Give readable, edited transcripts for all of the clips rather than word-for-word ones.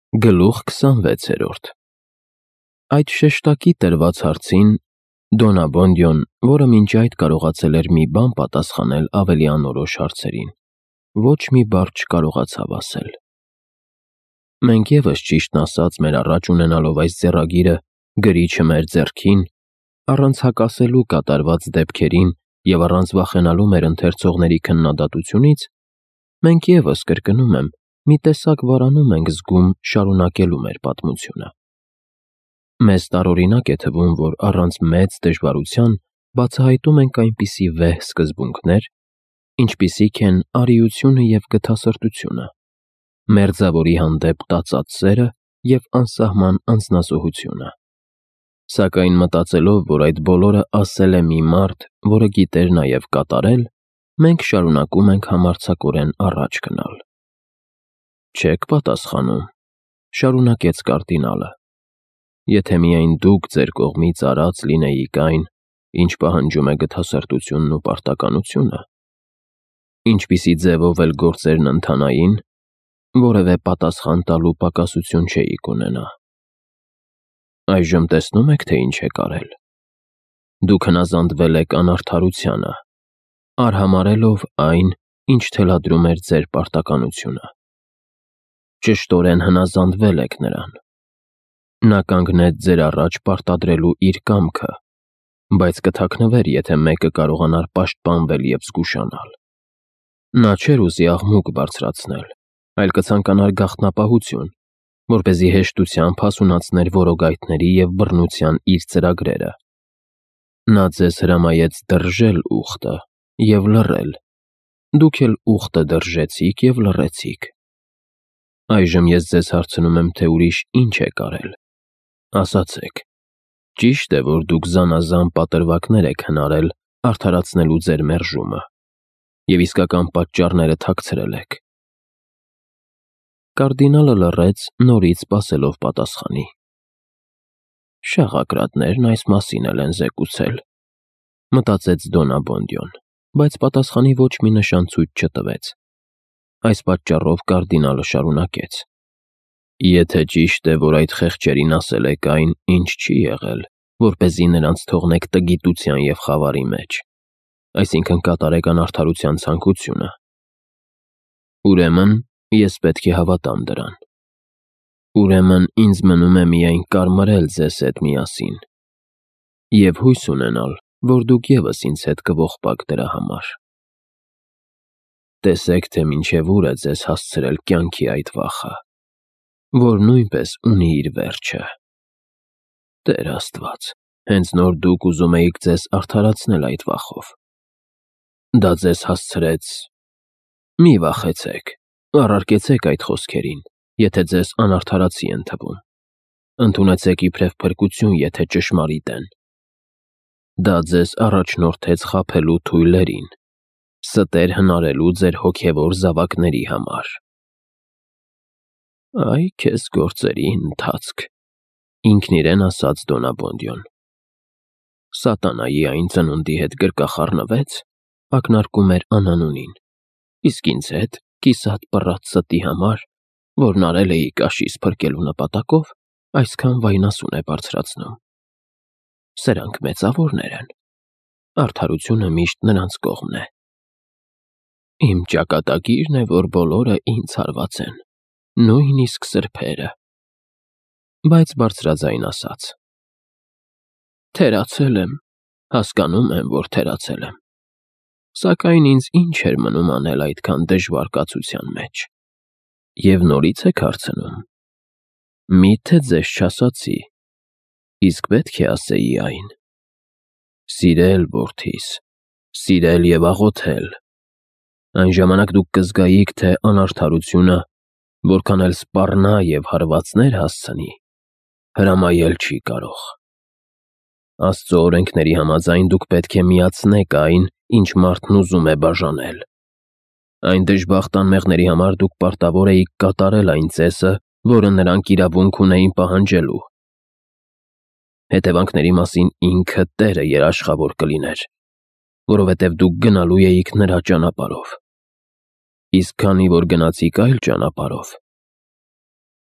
Գլուխ 26-րդ Այդ շեշտակի տրված հարցին Դոն Աբոնդիոն, որը մինչ այդ կարողացել էր մի բան պատասխանել ավելի անորոշ հարցերին, ոչ մի բառ չկարողացավ ասել։ Մենք ևս, ճիշտն ասած, մեր առաջ ունենալով այս ձեռագիրը, գրիչը մեր ձեռքին, առանց հակասելու կատարված դեպքերին և առանց վախենալու մեր ընթերցողների քննադատությունից, մենք ևս, կրկնում եմ, մի տեսակ վարանում ենք զգում շարունակելու մեր պատմությունը։ Մեզ տարօրինակ է թվում, որ առանց մեծ դժվարության բացահայտում ենք այնպիսի վեհ սկզբունքներ, ինչպիսիք են արիությունը և գթասրտությունը, մերձավորի հանդեպ տածած սերը և անսահման անձնազոհությունը։ Սակայն մտածելով, որ այդ բոլորը ասել է մի մարդ, որը գիտեր նաև կատարել, մենք շարունակում ենք համարձակորեն առաջ գնալ։ «Չեք պատասխանում,» շարունակեց կարդինալը, «եթե միայն դուք ձեր կողմից արած լինեիք այն, ինչ պահանջում է գթասրտությունն ու պարտականությունը, ինչպիսի ձևով էլ գործերն ընթանային, որևէ պատասխան տալու պակասություն չէիք ունենա։ Այժմ տեսնում եք, թե ինչ եք արել։ Դուք հնազանդվել եք անարդարությանը, արհամարհելով այն, ինչ թելադրում էր ձեր պարտականությունը։ Ճշտորեն հնազանդվել եք նրան։ Նա կանգնեց ձեր առաջ պարտադրելու իր կամքը, բայց կթաքնվեր, եթե մեկը կարողանար պաշտպանվել և զգուշանալ։ Նա չէր ուզի աղմուկ բարձրացնել, այլ կցանկանար գաղտնապահություն, որպեսզի հեշտությամբ հասունացներ որոգայթների և բռնության իր ծրագրերը։ Նա ձեզ հրամայեց դրժել ուխտը և լռել, դուք էլ ուխտը դրժեցիք և լռեցիք։ Այժմ ես ձեզ հարցնում եմ, թե ուրիշ ինչ եք արել։ Ասացեք, ճի՞շտ է, որ դուք զանազան պատրվակներ եք հնարել արդարացնելու ձեր մերժումը և իսկական պատճառները թաքցրել եք։ Կարդինալը լռեց, նորից սպասելով պատասխանի։ Շաղակրատներն այս մասին էլ են զեկուցել, մտածեց Դոն Աբոնդիոն, բայց պատասխանի ոչ մի նշան ցույց չտվեց։ Այս պատճառով կարդինալը շարունակեց. Եթե ճիշտ է, որ այդ խեղճերին ասել եք այն, ինչ չի եղել, որպեսզի նրանց թողնեք տգիտության և խավարի մեջ, այսինքն կատարեք անարդարության ցանկությունը, ուրեմն ես պետք է հավատամ դրան։ Ուրեմն ինձ մնում է միայն կարմրել ձեզ հետ միասին և հույս ունենալ, որ դուք ևս ինձ հետ կողպաք դրա համար։ Տեսեք, թե մինչև ուր է ձեզ հասցրել կյանքի այդ վախը, որ նույնպես ունի իր վերջը։ Տեր Աստված, հենց նոր դուք ուզում էիք ձեզ արդարացնել այդ վախով։ Դա ձեզ հասցրեց… Մի վախեցեք, առարկեցեք այդ խոսքերին, եթե ձեզ անարդարացի են թվում։ Ընդունեցեք իբրև փրկություն, եթե ճշմարիտ են։ Դա ձեզ առաջնորդեց խաբելու թույլերին, ստեր հնարելու ձեր հոգևոր զավակների համար։ Այ քեզ գործերի ընթացք, ինքն իրեն ասաց Դոն Աբոնդիոն։ Սատանայի այն ծնունդի հետ գրկախառնվեց, ակնարկում էր անանունին, իսկ ինձ հետ, կիսատ պռած ստի համար, որն արել էի կաշիս փրկելու նպատակով, այսքան վայնասուն է բարձրացնում։ Սրանք մեծավորներ են, արդարությունը միշտ նրանց կողմն է։ Իմ ճակատագիրն է, որ բոլորը ինձ հարված են, նույնիսկ սրբերը։ Բայց բարձրաձայն ասաց. Թերացել եմ, հասկանում եմ, որ թերացել եմ, սակայն ինձ ինչ էր մնում անել այդքան դժվար կացության մեջ։ Եվ նորից եք հարցնում. Միթե ձեզ չասացի, իսկ պետք է ասեի այն. սիրել որդիս, սիրել և աղոթել։ Այն ժամանակ դուք կզգայիք, թե անարդարությունը, որքան էլ սպառնա և հարվածներ հասցնի, հրամայել չի կարող։ Աստծո օրենքների համաձայն դուք պետք է միացնեք այն, ինչ մարդն ուզում է բաժանել։ Այն դժբախտ անմեղների համար դուք պարտավոր էիք կատարել այն ծեսը, որը նրանք իրավունք ունեին պահանջելու։ Հետևանքների մասին ինքը Տերը երաշխավոր կլիներ, որովհետև դուք գնալու էիք նրա ճանապարհով։ Իսկ քանի որ գնացիք այլ ճանապարհով,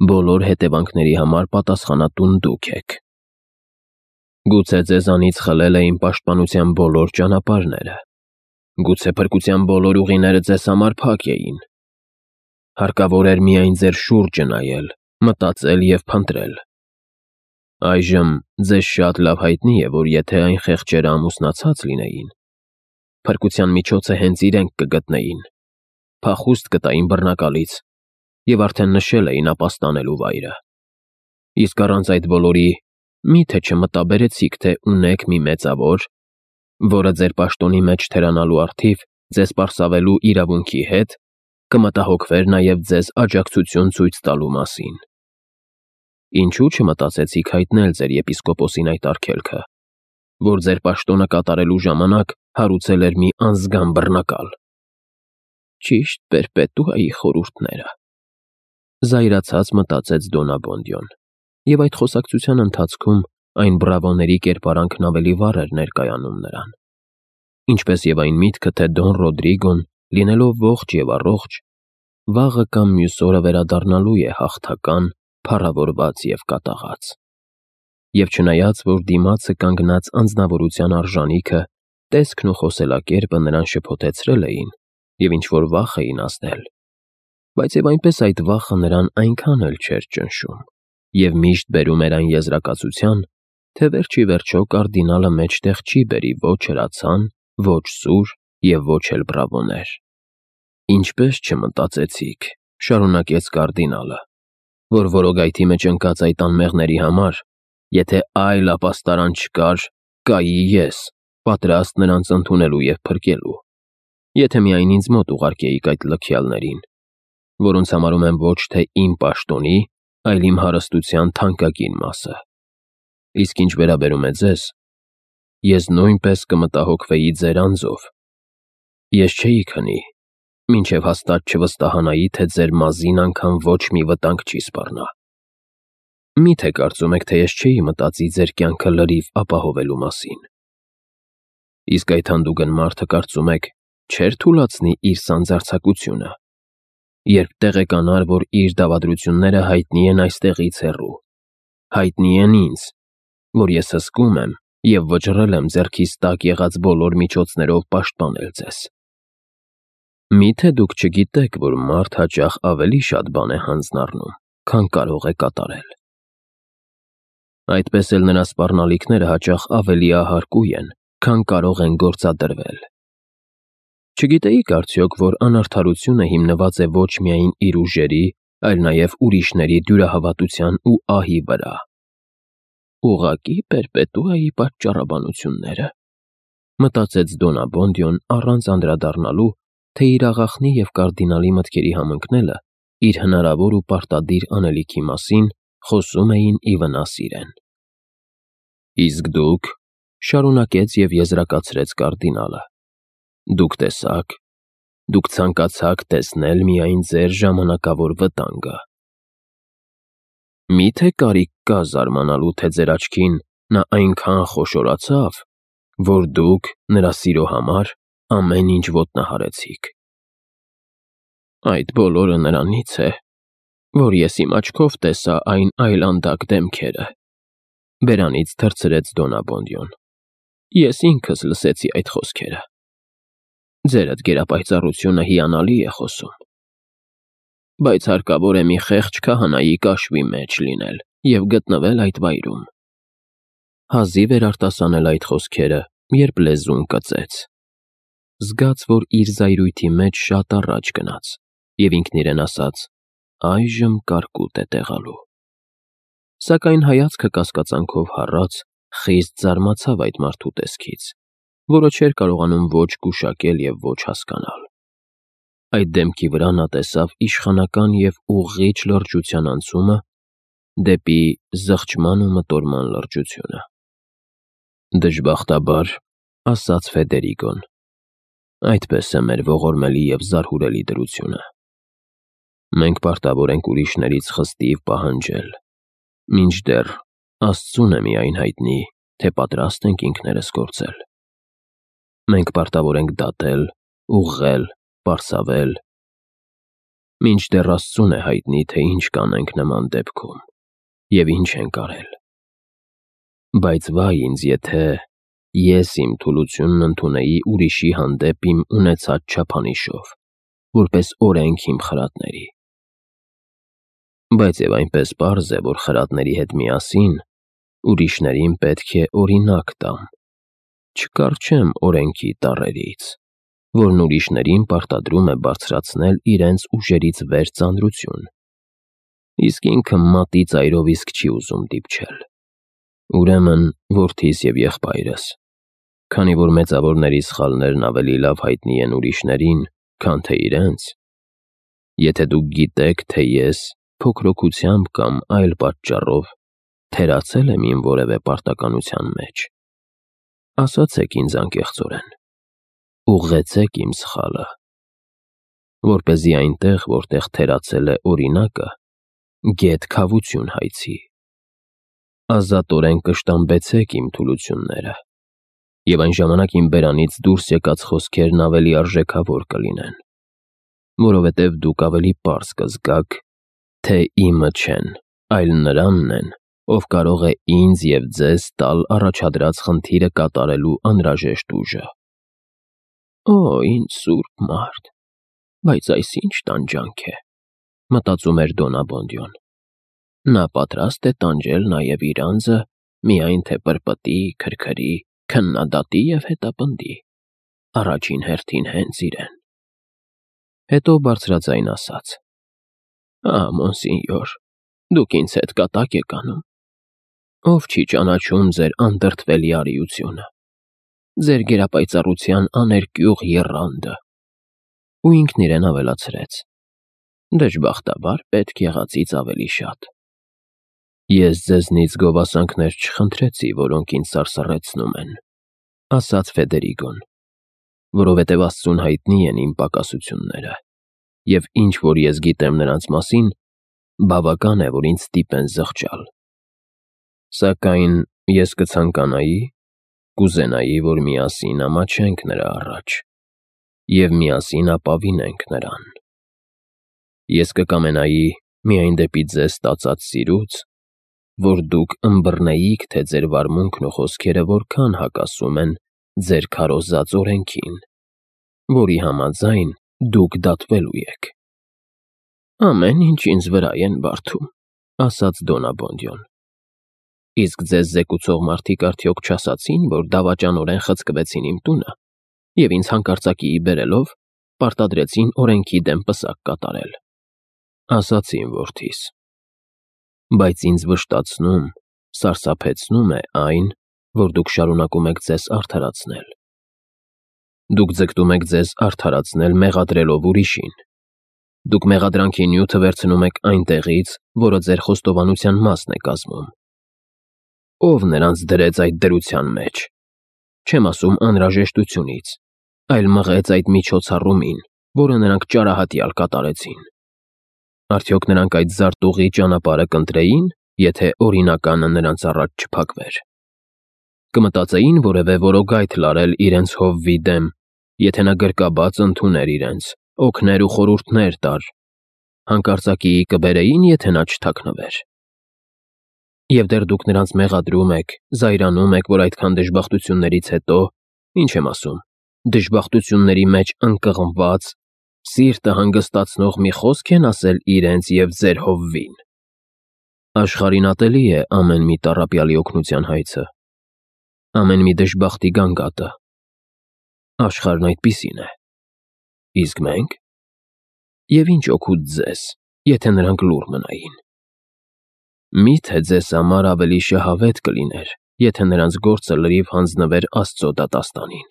բոլոր հետևանքների համար պատասխանատուն դուք եք։ Գուցե ձեզանից խլել էին պաշտպանության բոլոր ճանապարհները։ Գուցե փրկության բոլոր ուղիները ձեզ համար փակ էին։ Հարկավոր էր միայն ձեր շուրջը նայել, մտածել և փնտրել։ Այժմ ձեզ շատ լավ հայտնի է, որ եթե այն խեղճերը ամուսնացած լինեին, փրկության միջոցը հենց իրենք կգտնեին, փախուստ կտային բռնակալից և արդեն նշել էին ապաստանելու վայրը։ Իսկ առանց այդ բոլորի, մի՞թե չմտաբերեցիք, թե ունեք մի մեծավոր, որը ձեր պաշտոնի մեջ թերանալու առթիվ ձեզ պարսավելու իրավունքի հետ կմտահոգվեր նաև ձեզ աջակցություն ցույց տալու մասին։ Ինչու չմտածեցիք հայտնել ձեր եպիսկոպոսին այդ արգելքը, որ ձեր պաշտոնը կատարելու ժամանակ հարուցել էր մի անզգան բռնակալ։ Ճիշտ պերպետուայի խորհուրդները, զայրացած մտածեց Դոնաբոնդյոն, և այդ խոսակցության ընթացքում այն բրավոների կերպարանքն ավելի վառ էր ներկայանում նրան, ինչպես և այն միտքը, թե Դոն Ռոդրիգոն, լինելով ողջ և առողջ, վաղը կամ մյուս օրը վերադառնալու է հաղթական, փառավորված և կատաղած։ Եվ չնայած, որ դիմացը կանգնած անձնավորության արժանիքը, տեսքն ու խոսելակերպը նրան շփոթեցրել էին և ինչ-որ վախ էին ազդել, բայց և այնպես այդ վախը նրան այնքան էլ չէր ճնշում և միշտ բերում էր այն եզրակացության, թե վերջ ի վերջո կարդինալը մեջտեղ չի բերի ոչ հրացան, ոչ սուր և ոչ էլ բրավոներ։ Ինչպես չմտածեցիք, շարունակեց կարդինալը, որ որոգայթի մեջ ընկած այդ անմեղների համար, եթե այլ ապաստարան չկար, կայի ես, պատրաստ նրանց ընդունելու և փրկելու, եթե միայն ինձ մոտ ուղարկեիք այդ լքյալներին, որոնց համարում եմ ոչ թե իմ պաշտոնի, այլ իմ հարստության թանկագին մասը։ Իսկ ինչ վերաբերում է ձեզ, ես նույնպես կմտահոգվեի ձեր անձով։ Ես չէի քնի, մինչև հաստատ չվստահանայի, թե ձեր մազին անգամ ոչ մի վտանգ չի սպառնա։ Մի՞թե կարծում եք, թե ես չէի մտածի ձեր կյանքը լրիվ ապահովելու մասին։ Իսկ այդ հանդուգն մարդը, կարծում եք, չէր թուլացնի իր սանձարձակությունը, երբ տեղեկանար, որ իր դավադրությունները հայտնի են այստեղից հեռու, հայտնի են ինձ, որ ես հսկում եմ և վճռել եմ ձեռքիս տակ եղած բոլոր միջոցներով պաշտպանել ձեզ։ Մի՞թե դուք չգիտեք, որ մարդ հաճախ ավելի շատ բան է հանձն առնում, քան կարող է կատարել։ Այդպես էլ նրա սպառնալիքները հաճախ ավելի ահարկու են, քան կարող են գործադրվել։ Չգիտեիք արդյոք, որ անարդարությունը հիմնված է ոչ միայն իր ուժերի, այլ նաև ուրիշների դյուրահավատության ու ահի վրա։ Ուղղակի պերպետուայի պատճառաբանությունները, մտածեց Դոնաբոնդյոն առանց անդրադառնալու, թե իր աղախնի և կարդինալի մտքերի համընկնելը իր հնարավոր ու պարտադիր անելիքի մասին խոսում էին ի վնաս իրեն։ Իսկ դուք, շարունակեց և եզրակացրեց կարդինալը, դուք տեսաք, դուք ցանկացաք տեսնել միայն ձեր ժամանակավոր վտանգը։ Մի՞թե կարիք կա զարմանալու, թե ձեր աչքին նա այնքան խոշորացավ, որ դուք նրա սիրո համար ամեն ինչ ոտնահարեցիք։ Այդ բոլորը նրանից է, որ ես իմ աչքով տեսա այն այլանդակ դեմքերը, բերանից թռցրեց Դոնաբոնդյոն։ Ես ինքս լսեցի այդ խոսքերը։ Ձերդ գերապայծառությունը հիանալի է խոսում, բայց հարկավոր է մի խեղճ քահանայի կաշվի մեջ լինել և գտնվել այդ վայրում։ Հազիվ էր արտասանել այդ խոսքերը, երբ լեզուն կծեց։ Զգաց, որ իր զայրույթի մեջ շատ առաջ գնաց, և ինքն իրեն ասաց. այժմ կարկուտ է տեղալու։ Սակայն հայացքը կասկածանքով հառած, խիստ զարմացավ այդ մարդու տեսքից, որը չէր կարողանում ոչ գուշակել և ոչ հասկանալ։ Այդ դեմքի վրա նա տեսավ իշխանական և ուղղիչ լրջության անցումը դեպի զղջման ու մտորման լրջությունը։ Դժբախտաբար, ասաց Ֆեդերիկոն, այդպես է մեր ողորմելի և զարհուրելի դրությունը։ Մենք պարտավոր ենք ուրիշներից խստիվ պահանջել, մինչդեռ Աստծուն է միայն հայտնի, թե պատրաստ ենք ինքներս գործել։ Մենք պարտավոր ենք դատել, ուղղել, պարսավել, Մինչդեռ Աստծուն է հայտնի, թե ինչ կանենք նման դեպքում և ինչ ենք արել։ Բայց վայ ինձ, եթե ես իմ թուլությունն ընդունեի ուրիշի հանդեպ իմ ունեցած չափանիշով, որպես օրենք իմ խրատների։ Բայց և այնպես պարզ է, որ խրատների հետ միասին ուրիշներին պետք է օրինակ տամ, չկառչեմ օրենքի տառերից, որն ուրիշներին պարտադրում է բարձրացնել իրենց ուժերից վեր ծանրություն, իսկ ինքը մատի ծայրով իսկ չի ուզում դիպչել։ Ուրեմն, որդիս և եղբայրս, քանի որ մեծավորների սխալներն ավելի լավ հայտնի են ուրիշներին, քան թե իրենց, եթե դուք գիտեք, թե ես փոքրոքությամբ կամ այլ պատճառով թերացել եմ իմ որևէ պարտականության մեջ, ասացեք ինձ անկեղծորեն, ուղղեցեք իմ սխալը, որպեսզի այնտեղ, որտեղ թերացել է օրինակը, գեթ քավություն հայցի։ Ազատորեն կշտամբեցեք իմ թուլությունները, և այն ժամանակ իմ բերանից դուրս եկած խոսքերն ավելի արժեքավոր կլինեն, որովհետև դուք ավելի պարզ կզգաք, թե իմը չեն, այլ Նրանն են, ով կարող է ինձ և ձեզ տալ առաջադրած խնդիրը կատարելու անհրաժեշտ ուժը։ Օ, ինչ սուրբ մարդ, բայց այս ինչ տանջանք է, մտածում էր Դոնաբոնդյոն։ Նա պատրաստ է տանջել նաև իր անձը, միայն թե պրպտի, քրքրի, քննադատի և հետապնդի, առաջին հերթին հենց իրեն։ Հետո բարձրաձայն ասաց. Մոնսինյոր, դուք ինձ հետ կատակ եք անում։ Ով չի ճանաչում ձեր անդրդվելի արիությունը, ձեր գերապայծառության աներկյուղ եռանդը։ Ու ինքն իրեն ավելացրեց. Դժբախտաբար պետք եղածից ավելի շատ։ Ես ձեզնից գովասանքներ չխնդրեցի, որոնք ինձ սարսռեցնում են, ասաց Ֆեդերիկոն, որովհետև Աստծուն հայտնի են իմ պակասությունները, և ինչ որ ես գիտեմ նրանց մասին, բավական է, որ ինձ ստիպեն զղջալ։ Սակայն ես կուզենայի, որ միասին ամաչենք նրա առաջ և միասին ապավինենք նրան։ Ես կկամենայի միայն դեպի ձեզ ստացած սիրուց, որ դուք ըմբռնեիք, թե ձեր վարմունքն ու խոսքերը որքան հակասում են ձեր քարոզած օրենքին, որի համաձայն դուք դատվելու եք։ Ամեն ինչ ինձ վրա են բարդում, ասաց Դոնաբոնդյոն։ Իսկ ձեզ զեկուցող մարդիկ արդյոք չասացին, որ դավաճանորեն խցկվեցին իմ տունը և ինձ հանկարծակիի բերելով պարտադրեցին օրենքի դեմ պսակ կատարել։ Ասացին, որդիս, բայց ինձ վշտացնում, սարսափեցնում է այն, որ դուք շարունակում եք ձեզ արդարացնել։ Դուք ձգտում եք ձեզ արդարացնել մեղադրելով ուրիշին։ Դուք մեղադրանքի նյութը վերցնում եք այնտեղից, որը ձեր խոստովանության մասն է կազմում։ Ով նրանց դրեց այդ դրության մեջ։ Չեմ ասում անհրաժեշտությունից, այլ մղեց այդ միջոցառումին, որը նրանք ճարահատյալ կատարեցին։ Արդյոք նրանք այդ զարտուղի ճանապարհը կընտրեին, եթե օրինականը նրանց առաջ չփակվեր։ Կմտածեին որևէ որոգայթ լարել իրենց հովվի դեմ, եթե նա գրկաբաց ընդուներ իրենց, օգներ ու խորհուրդներ տար, հանկարծակիի կբերեին, եթե նա չթաքնվեր։ Եվ դեռ դուք նրանց մեղադրում եք, զայրանում եք, որ այդքան դժբախտություններից հետո, ինչ եմ ասում, դժբախտությունների մեջ ընկղմված, սիրտը հանգստացնող մի խոսք են ասել իրենց և ձեր հովվին։ Աշխարհին ատելի է ամեն մի տառապյալի օգնության հայցը, ամեն մի դժբախտի գանգատը։ Աշխարհն այդպիսին է։ Իսկ մենք։ Եվ ինչ օգուտ ձեզ, եթե նրանք լուռ մնային։ Միթե ձեզ համար ավելի շահավետ կլիներ, եթե նրանց գործը լրիվ հանձնվեր Աստծո դատաստանին։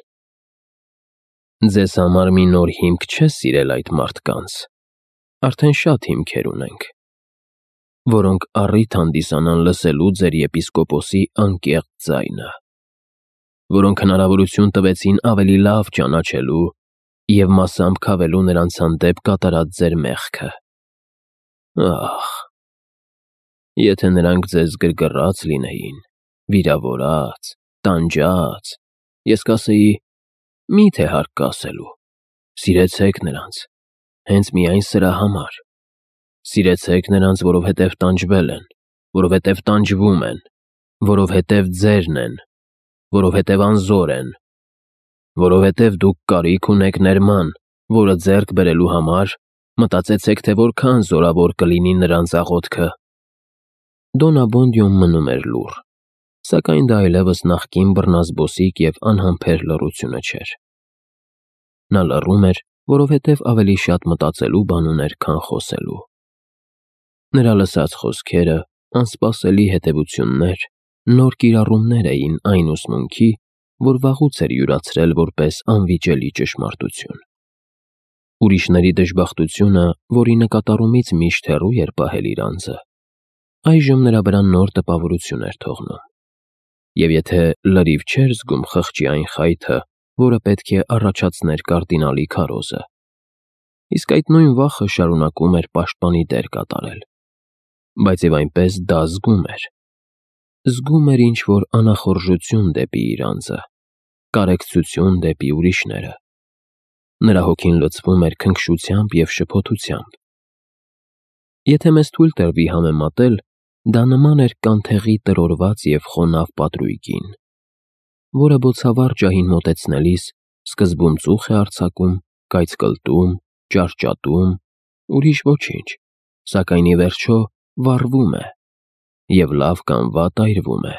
Ձեզ համար մի նոր հիմք չէ սիրել այդ մարդկանց, արդեն շատ հիմքեր ունենք, որոնք առիթ հանդիսանան լսելու ձեր եպիսկոպոսի անկեղծ ձայնը, որոնք հնարավորություն տվեցին ավելի լավ ճանաչելու և մասամբ քավելու նրանց հանդեպ կատարած ձեր մեղքը։ Ահ, եթե նրանք ձեզ գրգռած լինեին, վիրավորած, տանջած, ես կասեի, միթե հարկ կա ասելու, սիրեցեք նրանց, Հենց միայն սրա համար։ Սիրեցեք նրանց, որովհետև տանջվել են, որովհետև տանջվում են, որովհետև ձերն են, որովհետև անզոր են, որովհետև դուք կարիք ունեք ներման, որը ձեռք բերելու համար մտածեցեք, թե որքան զորավոր կլինի նրանց աղոթքը։ Դոն Աբոնդիոն մնում էր լուռ, սակայն դա այլևս նախկին բռնազբոսիկ և անհամբեր լռությունը չէր։ Նա լռում էր, որովհետև ավելի շատ մտածելու բան ուներ, քան խոսելու։ Նրա լսած խոսքերը, անսպասելի հետևություններ, նոր կիրառումներ էին այն ուսմունքի, որ վաղուց էր յուրացրել որպես անվիճելի ճշմարտություն։ Ուրիշների դժբախտությունը, որի նկատառումից միշտ հեռու էր պահել իր անձը, այժմ նրա վրա նոր տպավորություն էր թողնում։ Եվ եթե լրիվ չէր զգում խղճի այն խայթը, որը պետք է առաջացներ կարդինալի քարոզը, իսկ այդ նույն վախը շարունակում էր պաշտպանի դեր կատարել, բայց և այնպես դա զգում էր։ Զգում էր ինչ-որ անախորժություն դեպի իր անձը, կարեկցություն դեպի ուրիշները։ Նրա հոգին լցվում էր քնքշությամբ և շփոթությամբ։ Եթե մեզ թույլ տրվի համեմատել, դա նման էր կանթեղի տրորված և խոնավ պատրույգին, որը բոցավառ ջահին մոտեցնելիս սկզբում ծուխ է արձակում, կայծկլտում, ճարճատում, ուրիշ ոչինչ, սակայն ի վերջո վառվում է և լավ կամ վատ այրվում է։